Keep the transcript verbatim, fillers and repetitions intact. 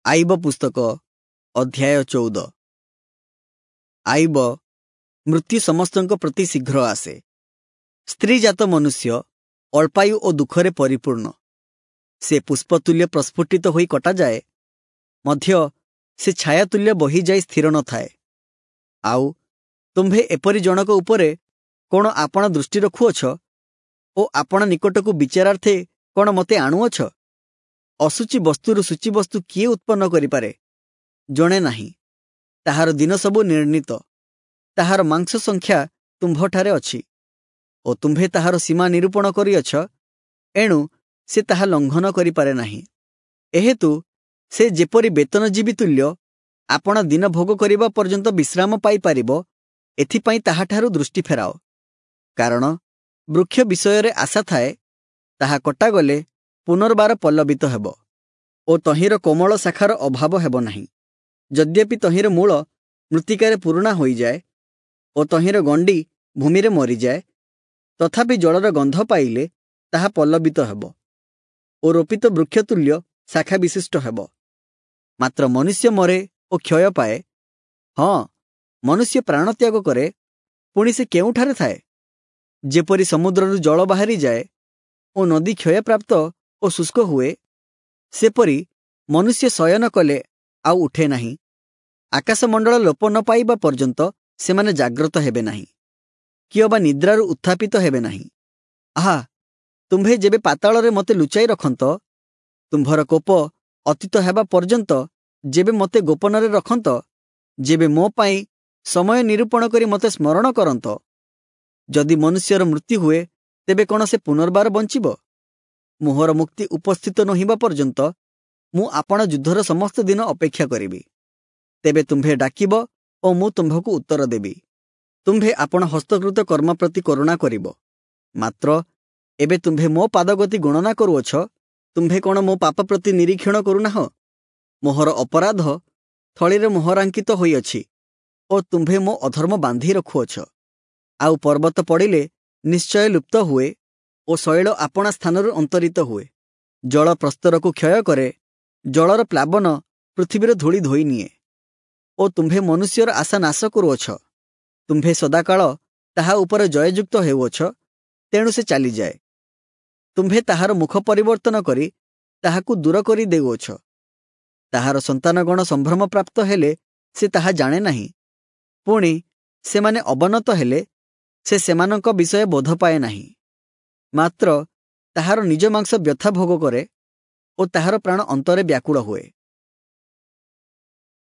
ଆଇବ ପୁସ୍ତକ ଅଧ୍ୟାୟ ଚଉଦ। ଆଇବ ମୃତ୍ୟୁ ସମସ୍ତଙ୍କ ପ୍ରତି ଶୀଘ୍ର ଆସେ। ସ୍ତ୍ରୀଜାତ ମନୁଷ୍ୟ ଅଳ୍ପାୟୁ ଓ ଦୁଃଖରେ ପରିପୂର୍ଣ୍ଣ। ସେ ପୁଷ୍ପତୁଲ୍ୟ ପ୍ରସ୍ଫୁଟିତ ହୋଇ କଟାଯାଏ, ମଧ୍ୟ ସେ ଛାୟାତୁଲ୍ୟ ବହିଯାଇ ସ୍ଥିର ନଥାଏ। ଆଉ ତୁମ୍ଭେ ଏପରି ଜଣକ ଉପରେ କ'ଣ ଆପଣା ଦୃଷ୍ଟି ରଖୁଅଛ ଓ ଆପଣା ନିକଟକୁ ବିଚାରାର୍ଥେ କ'ଣ ମୋତେ ଆଣୁଅଛ? ଅଶୁଚି ବସ୍ତୁରୁ ଶୁଚି ବସ୍ତୁ କିଏ ଉତ୍ପନ୍ନ କରିପାରେ? ଜଣେ ନାହିଁ। ତାହାର ଦିନ ସବୁ ନିର୍ଣ୍ଣିତ, ତାହାର ମାଂସ ସଂଖ୍ୟା ତୁମ୍ଭଠାରେ ଅଛି ଓ ତୁମ୍ଭେ ତାହାର ସୀମା ନିରୂପଣ କରିଅଛ, ଏଣୁ ସେ ତାହା ଲଙ୍ଘନ କରିପାରେ ନାହିଁ। ଏହେତୁ ସେ ଯେପରି ବେତନଜୀବୀ ତୁଲ୍ୟ ଆପଣା ଦିନ ଭୋଗ କରିବା ପର୍ଯ୍ୟନ୍ତ ବିଶ୍ରାମ ପାଇପାରିବ, ଏଥିପାଇଁ ତାହାଠାରୁ ଦୃଷ୍ଟି ଫେରାଅ। କାରଣ ବୃକ୍ଷ ବିଷୟରେ ଆଶା ଥାଏ, ତାହା କଟାଗଲେ ପୁନର୍ବାର ପଲ୍ଲବିତ ହେବ ଓ ତହିଁର କୋମଳ ଶାଖାର ଅଭାବ ହେବ ନାହିଁ। ଯଦ୍ୟପି ତହିଁର ମୂଳ ମୃତ୍ତିକାରେ ପୁରୁଣା ହୋଇଯାଏ ଓ ତହିଁର ଗଣ୍ଡି ଭୂମିରେ ମରିଯାଏ, ତଥାପି ଜଳର ଗନ୍ଧ ପାଇଲେ ତାହା ପଲ୍ଲବିତ ହେବ ଓ ରୋପିତ ବୃକ୍ଷ ତୁଲ୍ୟ ଶାଖା ବିଶିଷ୍ଟ ହେବ। ମାତ୍ର ମନୁଷ୍ୟ ମରେ ଓ କ୍ଷୟ ପାଏ। ହଁ, ମନୁଷ୍ୟ ପ୍ରାଣତ୍ୟାଗ କରେ, ପୁଣି ସେ କେଉଁଠାରେ ଥାଏ? ଯେପରି ସମୁଦ୍ରରୁ ଜଳ ବାହାରିଯାଏ ଓ ନଦୀ କ୍ଷୟପ୍ରାପ୍ତ ଓ ଶୁଷ୍କ ହୁଏ, ସେପରି ମନୁଷ୍ୟ ଶୟନ କଲେ ଆଉ ଉଠେ ନାହିଁ। ଆକାଶମଣ୍ଡଳ ଲୋପ ନ ପାଇବା ପର୍ଯ୍ୟନ୍ତ ସେମାନେ ଜାଗ୍ରତ ହେବେ ନାହିଁ, କିଅବା ନିଦ୍ରାରୁ ଉତ୍ଥାପିତ ହେବେ ନାହିଁ। ଆହା, ତୁମ୍ଭେ ଯେବେ ପାତାଳରେ ମୋତେ ଲୁଚାଇ ରଖନ୍ତ, ତୁମ୍ଭର କୋପ ଅତୀତ ହେବା ପର୍ଯ୍ୟନ୍ତ ଯେବେ ମୋତେ ଗୋପନରେ ରଖନ୍ତ, ଯେବେ ମୋ ପାଇଁ ସମୟ ନିରୂପଣ କରି ମୋତେ ସ୍ମରଣ କରନ୍ତ। ଯଦି ମନୁଷ୍ୟର ମୃତ୍ୟୁ ହୁଏ, ତେବେ କ'ଣ ସେ ପୁନର୍ବାର ବଞ୍ଚିବ? ମୋହର ମୁକ୍ତି ଉପସ୍ଥିତ ନୋହିବା ପର୍ଯ୍ୟନ୍ତ ମୁଁ ଆପଣା ଯୁଦ୍ଧର ସମସ୍ତ ଦିନ ଅପେକ୍ଷା କରିବି। ତେବେ ତୁମ୍ଭେ ଡାକିବ ଓ ମୁଁ ତୁମ୍ଭକୁ ଉତ୍ତର ଦେବି। ତୁମ୍ଭେ ଆପଣା ହସ୍ତକୃତ କର୍ମ ପ୍ରତି କରୁଣା କରିବ। ମାତ୍ର ଏବେ ତୁମ୍ଭେ ମୋ ପାଦଗତି ଗଣନା କରୁଅଛ। ତୁମ୍ଭେ କ'ଣ ମୋ ପାପ ପ୍ରତି ନିରୀକ୍ଷଣ କରୁନାହଁ? ମୋହର ଅପରାଧ ଥଳିରେ ମୋହରାଙ୍କିତ ହୋଇଅଛି ଓ ତୁମ୍ଭେ ମୋ ଅଧର୍ମ ବାନ୍ଧି ରଖୁଅଛ। ଆଉ ପର୍ବତ ପଡ଼ିଲେ ନିଶ୍ଚୟ ଲୁପ୍ତ ହୁଏ ଓ ଶୈଳ ଆପଣା ସ୍ଥାନରୁ ଅନ୍ତରିତ ହୁଏ। ଜଳ ପ୍ରସ୍ତରକୁ କ୍ଷୟ କରେ, ଜଳର ପ୍ଲାବନ ପୃଥିବୀର ଧୂଳି ଧୋଇ ନିଏ। ଓ ତୁମ୍ଭେ ମନୁଷ୍ୟର ଆଶା ନାଶ କରୁଅଛ। ତୁମ୍ଭେ ସଦାକାଳ ତାହା ଉପରେ ଜୟଯୁକ୍ତ ହେଉଅଛ, ତେଣୁ ସେ ଚାଲିଯାଏ। ତୁମ୍ଭେ ତାହାର ମୁଖ ପରିବର୍ତ୍ତନ କରି ତାହାକୁ ଦୂର କରି ଦେଉଅଛ। ତାହାର ସନ୍ତାନଗଣ ସମ୍ଭ୍ରମ ପ୍ରାପ୍ତ ହେଲେ ସେ ତାହା ଜାଣେ ନାହିଁ, ପୁଣି ସେମାନେ ଅବନତ ହେଲେ ସେ ସେମାନଙ୍କ ବିଷୟ ବୋଧ ପାଏ ନାହିଁ। ମାତ୍ର ତାହାର ନିଜ ମାଂସ ବ୍ୟଥା ଭୋଗ କରେ ଓ ତାହାର ପ୍ରାଣ ଅନ୍ତରେ ବ୍ୟାକୁଳ ହୁଏ।